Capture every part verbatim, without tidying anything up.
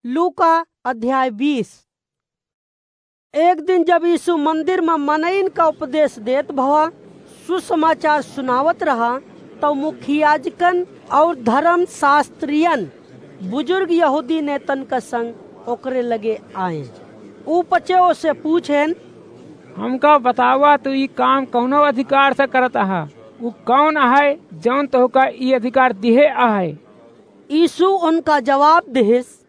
लूका अध्याय बीस। एक दिन जब यीशु मंदिर में मनइन का उपदेश देत भवा, सुसमाचार सुनावत रहा, तब मुख्य याजकन और धर्म शास्त्रियन, बुजुर्ग यहूदी नेतन का संग ओकरे लगे आए। ऊ पचे ओसे पूछेन, "हमका बतावा, तू ई काम कौनो अधिकार से करत आहा? ऊ कौन आहे, जौन तोहका ई अधिकार दिहे आहे?" यीशु उनका जवाब दिहिस,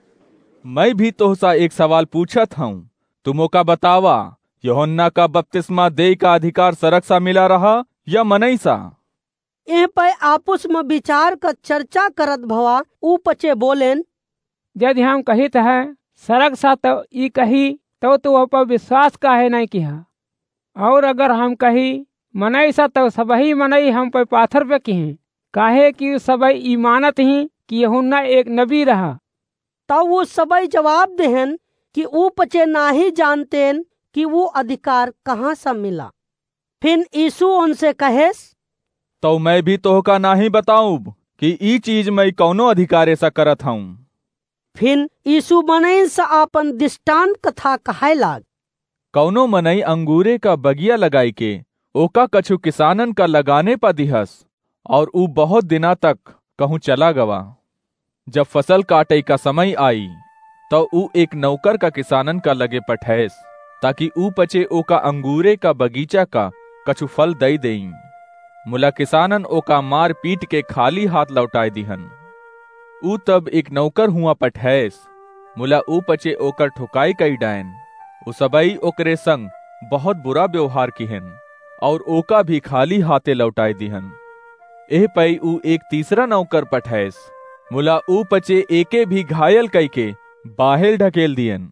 "मैं भी तोहसा एक सवाल पूछत हूँ, तू मोका बतावा, यूहन्ना का बपतिस्मा देई का अधिकार सरग सा मिला रहा या मनई सा?" एह पे आपुस में विचार का चर्चा करत भवा, ऊ पचे बोलेन, "यदि हम कहित है सरग सा, तो ई कही, तो तू ओह पर विश्वास काहे नहीं किहा? और अगर हम कही मनई सा, तो सबही मनई हम पे पाथर पे किहें, काहे कि ऊ सबही ई मानत ही कि यूहन्ना एक नबी रहा।" तब ऊ सबही जवाब देहन कि ऊ पचे नाही जानतेन कि ऊ अधिकार कहाँ से मिला। फिन यीशु उनसे कहेस, "तो मैं भी तोहका नाही बताऊब कि ई चीज मैं कौनो अधिकारे से करत हूँ।" फिन यीशु मनइन से आपन दृष्टांत कथा कहे लाग, "कौनो मनई अंगूरे का बगिया लगाई के ओका कछु किसानन का लगाने पा दिहस, और ऊ बहुत दिना तक कहूँ चला गवा। जब फसल काटे का समय आई, तो ऊ एक नौकर का किसानन का लगे पठैस, ताकि ऊ पचे ओका अंगूरे का बगीचा का कछु फल दई देई। मुला किसानन ओका मार पीट के खाली हाथ लौटाए दिहन। ऊ तब एक नौकर हुआ पठैस, मुला ऊ पचे ओकर ठुकाई कई डायन। ऊ सबई ओकरे संग बहुत बुरा व्यवहार किहन, और ओका भी खाली हाथे लौटाए दिहन। एह पई ऊ एक तीसरा नौकर पठैस, मुला ऊ पचे एके भी घायल कई के बाहेर ढकेल दियन।"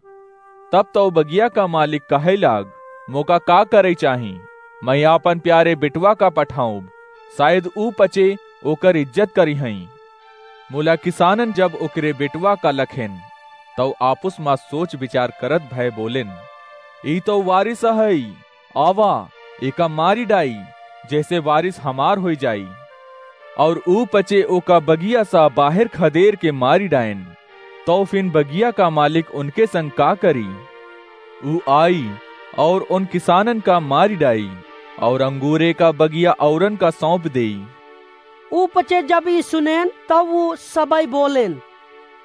तब तो बगिया का मालिक कहे लाग, "मोका का करे चाही? मैं आपन प्यारे बेटवा का पठाऊब, शायद ऊ पचे ओकर इज्जत करिहैं।" मुला किसानन जब ओकरे बेटवा का लखेन, तौ आपुस मा सोच विचार करत भय बोलेन, "ई तौ वारिस अहै, आवा, एका मारी डाई, जैसे वारिस हमार होई जाई।" और ऊ पचे ओका बगिया सा बाहेर खदेर के मारी डायन। तौ फिन बगिया का मालिक उनके संग का करी? ऊ आई और उन किसानन का मारी डाई और अंगूरे का बगिया औरन का सौंप देई। ऊ पचे जब ई सुनेन, तब ऊ सबई बोलेन,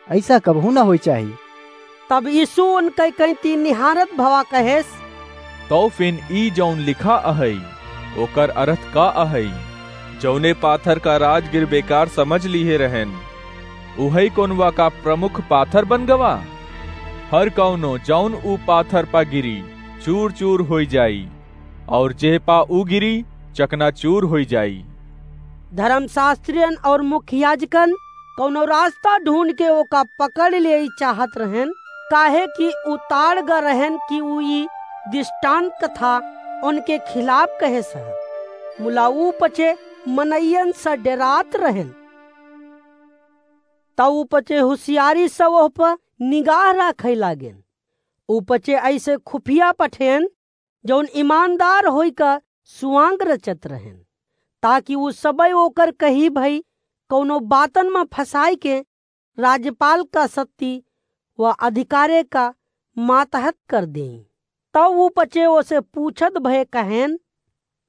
"ऐसा कबहू ना होई चाही।" तब यीशु उनके कैंती निहारत भवा कहेस, "तौ फिन ई जौन लिखा अहै, ओकर अर्थ का अहै? जौने पाथर का राजगीर बेकार समझ लिहे रहेन, उहै कोनवा का प्रमुख पाथर बन गवा? हर कौनो जौन ऊ पाथर पा गिरी, चूर चूर होई जाई, और जेह पा ऊ गिरी, चकनाचूर होई जाई।" धर्मशास्त्रियन और मुख्य याजकन कौनो रास्ता ढूंढ के ओका पकड़ लेई चाहत रहेन, काहे कि ऊ ताड़ ग रहेन कि ऊ ई दृष्टांत कथा उनके खिलाफ कहेस ह। मुला ऊ पचे मनइयन से डेरात रहेन। तब ऊ पचे हुसियारी से ओह पर निगाह राखे लागेन। ऊ पचे ऐसे खुफिया पठेन, जौन ईमानदार होई का सुआंग रचत रहेन, ताकि ऊ सबई ओकर कही भई कौनो बातन मा फंसाई के राज्यपाल का शक्ति व अधिकारे का मातहत कर देई। तब ऊ पचे ओसे पूछत भय कहेन,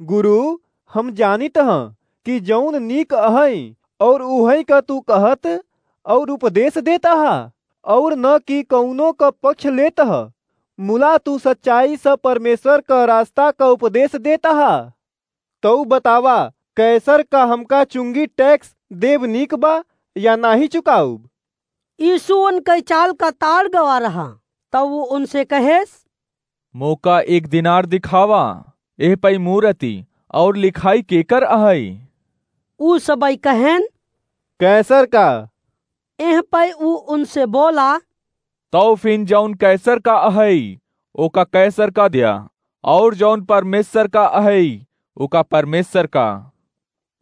"गुरु, हम जानित ह कि जौन नीक अहै और उहै का तू कहत और उपदेश देत ह, और न कि कौनो का पक्ष लेत ह, मुला तू सच्चाई से परमेश्वर का रास्ता का उपदेश देत ह। तौ बतावा, कैसर का हमका चुंगी टैक्स देब नीक बा या नाही चुकाउब?" यीशु उनके चाल का ताड़ गवा रहा, तब ऊ उनसे कहेस, "मोका एक दिनार दिखावा, एह पई मूरति और लिखाई केकर अहै?" ऊ सबई कहेन, "कैसर का।" एह पई ऊ उनसे बोला, "तौ फिन जौन कैसर का अहै, ओका कैसर का द्या, और जौन परमेश्वर का अहै, ओका परमेश्वर का।"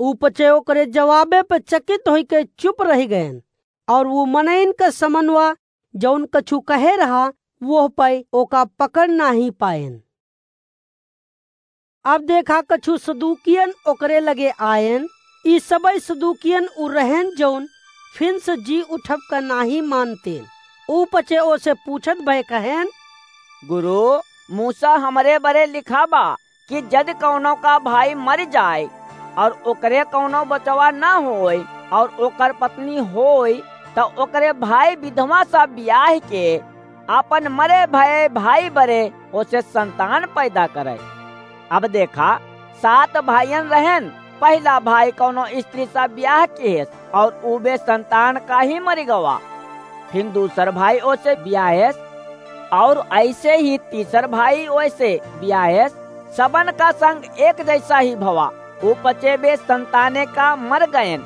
ऊ पचे ओकरे जवाबे पे चकित होई के चुप रहि गएन, और ऊ मनइन का समनवा जौन कछु कहे रहा, वोह पै ओका पकड़ नाही पाएन। अब देखा, कछु सदूकियन ओकरे लगे आएन। ई सबई सदूकियन उ रहेन, जौन फिन से जी उठब का नाही मानतेन। ऊ पचे ओसे पूछत भए कहेन, गुरु, मूसा हमरे बरे लिखा बा कि जद कउनो का भाई मरि जाए और ओकरे कउनो बचवा न होए और ओकर पत्नी होए, त ओकरे भाई विधवा सा बियाह के आपन मरे भए भाई बरे ओसे संतान पैदा करे। अब देखा, सात भाइयन रहेन, पहिला भाई कउनो स्त्री सा बियाह किहेस और ऊ बेसंतान का ही मरि गवा। फिन दूसर भाई ओसे बियाहेस और अइसे ही तीसर भाई ओसे बियाहेस। सबन का संग एक जइसा ही भवा, ऊ पचे बेसंताने का मर गएन।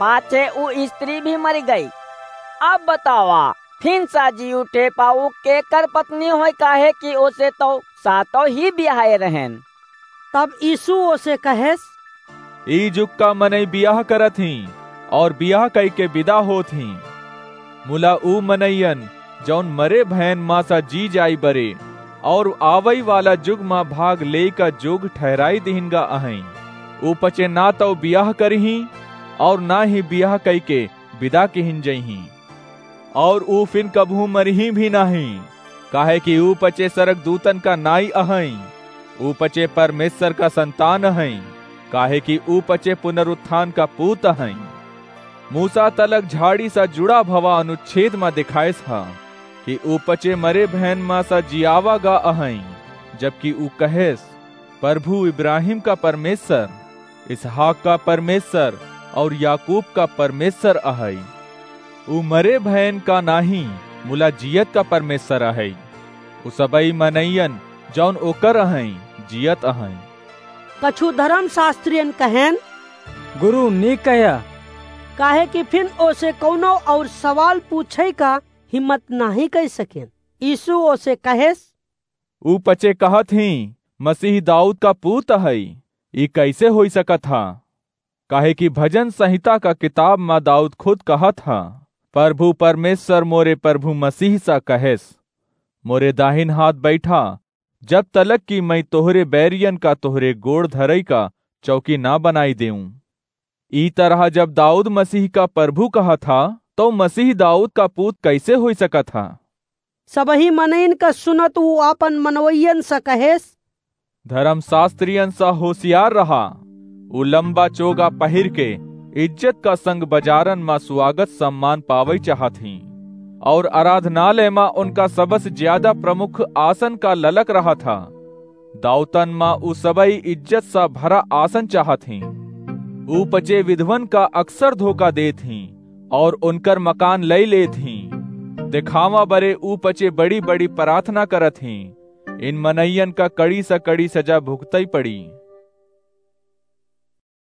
पाछे ऊ स्त्री भी मरि गई। अब बतावा, फिन सा जी उठे पाऊ केकर पत्नी होय, काहे कि ओसे तउ सातों ही बियाहे रहेन। तब यीशु ओसे कहेस, ई जुग का मनई बियाह करत हीं और बियाह कइके बिदा होत हीं। मुला ऊ मनइयन जउन मरे भएन मा सा जी जाई बरे और आवइ वाला जुग मा भाग लेइ का जोग ठहराई दिहिन गा अहइँ। ऊ पचे ना तउ बियाह करिहीं और ना ही बियाह कइके बिदा किहिन जइहीं। और ऊ फिन कबहूँ मरिहीं भी नाहीं, काहे कि ऊ पचे सरगदूतन का नाई अहइँ, ऊ पचे परमेश्वर का संतान अहइँ, काहे कि ऊ पचे पुनरुत्थान का पूत अहइँ। मूसा तलक झाड़ी सा जुड़ा भवा अनुच्छेद मा दिखाएस ह कि ऊ पचे मरे भएन मा सा जियावा गा अहइँ, जबकि ऊ कहेस, प्रभु इब्राहिम का परमेश्वर, इसहाक का परमेश्वर और याकूब का परमेश्वर अहइ। ऊ मरे भएन का नाहीं, मुला जियत का परमेश्वर अहइ। ऊ सबई मनइयन जउन ओकर अहइँ, जियत अहइँ। कछु धर्मशास्त्रियन कहेन, गुरु, नीक कह्या। काहे कि फिन ओसे कउनो और सवाल पूछइ का हिम्मत नाहीं कइ सकेन। यीशु ओसे कहेस, ऊ पचे कहत हीं, मसीह दाऊद का पूत अहइ, ई कइसे होइ सकत ह? काहे कि भजन संहिता का किताब मा दाऊद खुद कहत ह, प्रभु परमेश्वर मोरे प्रभु मसीह सा कहेस, मोरे दाहिन हाथ बइठा, जब तलक कि मइँ तोहरे बैरियन का तोहरे गोड़ धरइ का चौकी ना बनाई देऊँ। ई तरह जब दाऊद मसीह का प्रभु कहत ह, तउ मसीह दाऊद का पूत कइसे होइ सकत ह? सबही मनइन का सुनत ऊ आपन मनवइयन स कहेस, धर्मशास्त्रियन स होशियार रहा। ऊ लंबा चोगा पहिर के इज्जत का संग बजारन मा स्वागत सम्मान पावइ चाहत हीं, और आराधनालय मा उनका सबस ज्यादा प्रमुख आसन का ललक रहत ह। दाऊतन मा ऊ सबई इज्जत स भरा आसन चाहत हीं। ऊ पचे विधवन का अक्सर धोखा देत हीं, और उनकर मकान लइ लेत हीं। देखावा बरे ऊ पचे बड़ी-बड़ी प्रार्थना करत हीं। इन मनइयन का कड़ी स कड़ी सजा भुगतइ पड़ी।